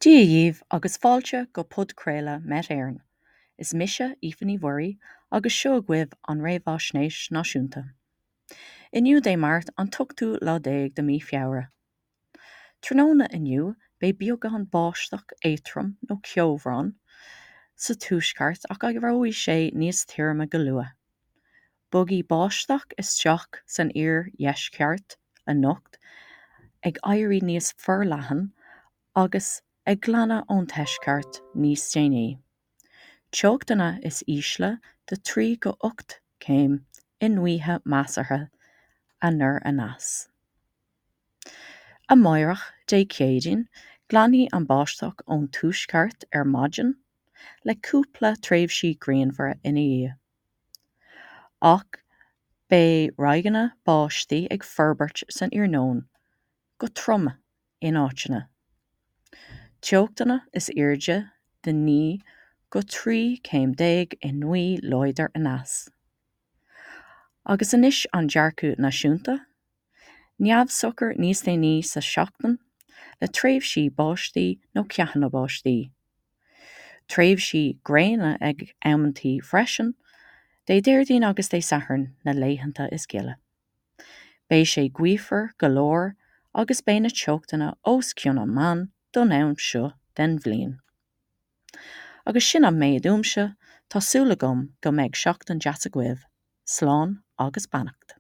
Dia dhíbh agus fáilte go podchraoladh Met Éireann. Is mise Aoife Ní Mhuirí agus seo agaibh an Réamhaisnéis Náisiúnta. Inniu Dé Máirt an t-ochtú lá déag de mí Feabhra. Tráthnóna inniu beidh beagán báisteach éadrom nó ceobhrán sa tuaisceart ach éireoidh sé níos tirime go luath. Bogfaidh báisteach isteach san iardheisceart anocht, ag éirí níos forleathan agus ag glanadh ón tuaisceart níos déanaí. Teochtanna is ísle de 3 go 8 céim i ngaotha measartha anoir aneas. Amáireach, Dé Céadaoin, glanfaidh an báisteach ón tuaisceart ar maidin, le cúpla tréimhsí grianmhara ina dhiaidh. Ach beidh ráigeanna báistí ag forbairt san iarnóin, go trom in áiteanna. Teochtanna is airde de 9 go 13 céim i ngaoth láidir aneas. Agus anois an dearcadh náisiúnta. Neamhshocair níos déanaí sa seachtain, le tréimhsí báistí nó ceathanna báistí. Tréimhsí gréine ag amantaí freisin, Dé Déardaoin agus Dé Sathairn na laethanta is gile. Beidh sé gaofar go leor agus beidh na teochtanna os cionn an meán don am seo den bhliain. Agus sin an méid uaimse, tá súil agam go mbeidh seachtain deas agaibh. Slán agus beannacht.